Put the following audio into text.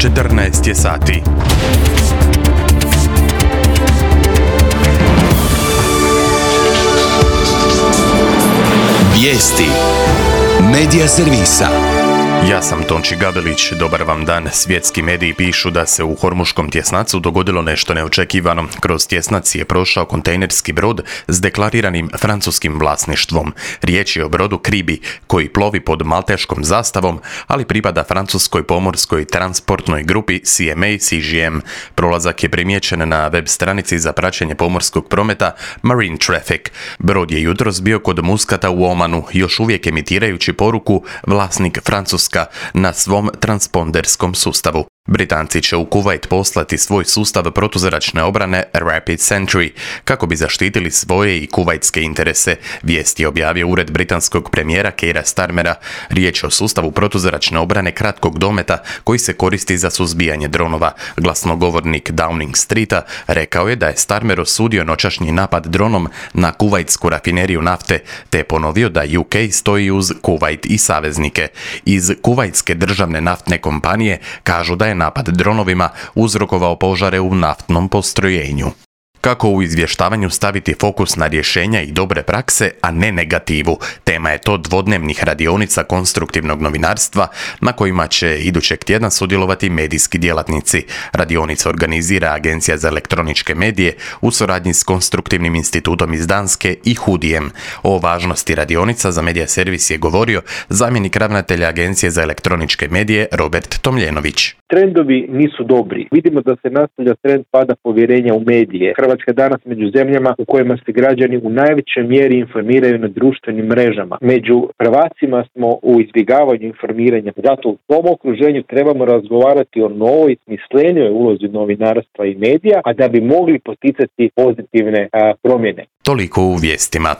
14 je sati. Vijesti Medija servisa. Ja sam Tonči Gabelić, dobar vam dan. Svjetski mediji pišu da se u Hormuškom tjesnacu dogodilo nešto neočekivano. Kroz tjesnac je prošao kontejnerski brod s deklariranim francuskim vlasništvom. Riječ je o brodu Kribi, koji plovi pod malteškom zastavom, ali pripada francuskoj pomorskoj transportnoj grupi CMA CGM. Prolazak je primijećen na web stranici za praćenje pomorskog prometa Marine Traffic. Brod je jutros bio kod Muskata u Omanu, još uvijek emitirajući poruku vlasnik Francuska na svom transponderskom sustavu. Britanci će u Kuvajt poslati svoj sustav protuzračne obrane Rapid Sentry kako bi zaštitili svoje i kuvajtske interese, vijesti je objavio ured britanskog premijera Keira Starmera. Riječ je o sustavu protuzračne obrane kratkog dometa koji se koristi za suzbijanje dronova. Glasnogovornik Downing Streeta rekao je da je Starmer osudio noćašnji napad dronom na kuvajtsku rafineriju nafte, te ponovio da UK stoji uz Kuvajt i saveznike. Iz kuvajtske državne naftne kompanije kažu da je napad dronovima uzrokovao požare u naftnom postrojenju. Kako u izvještavanju staviti fokus na rješenja i dobre prakse, a ne negativu? Tema je to dvodnevnih radionica konstruktivnog novinarstva na kojima će idućeg tjedna sudjelovati medijski djelatnici. Radionica organizira Agencija za elektroničke medije u suradnji s Konstruktivnim institutom iz Danske i Hudijem. O važnosti radionica za medija servis je govorio zamjenik ravnatelja Agencije za elektroničke medije Robert Tomljenović. Trendovi nisu dobri. Vidimo da se nastavlja trend pada povjerenja u medije. Hrvatska je danas među zemljama u kojima se građani u najvećoj mjeri informiraju na društvenim mrežama. Među prvacima smo u izbjegavanju informiranja. Zato u tom okruženju trebamo razgovarati o novoj, smislenijoj ulozi novinarstva i medija, a da bi mogli poticati pozitivne promjene. Toliko u vijestima.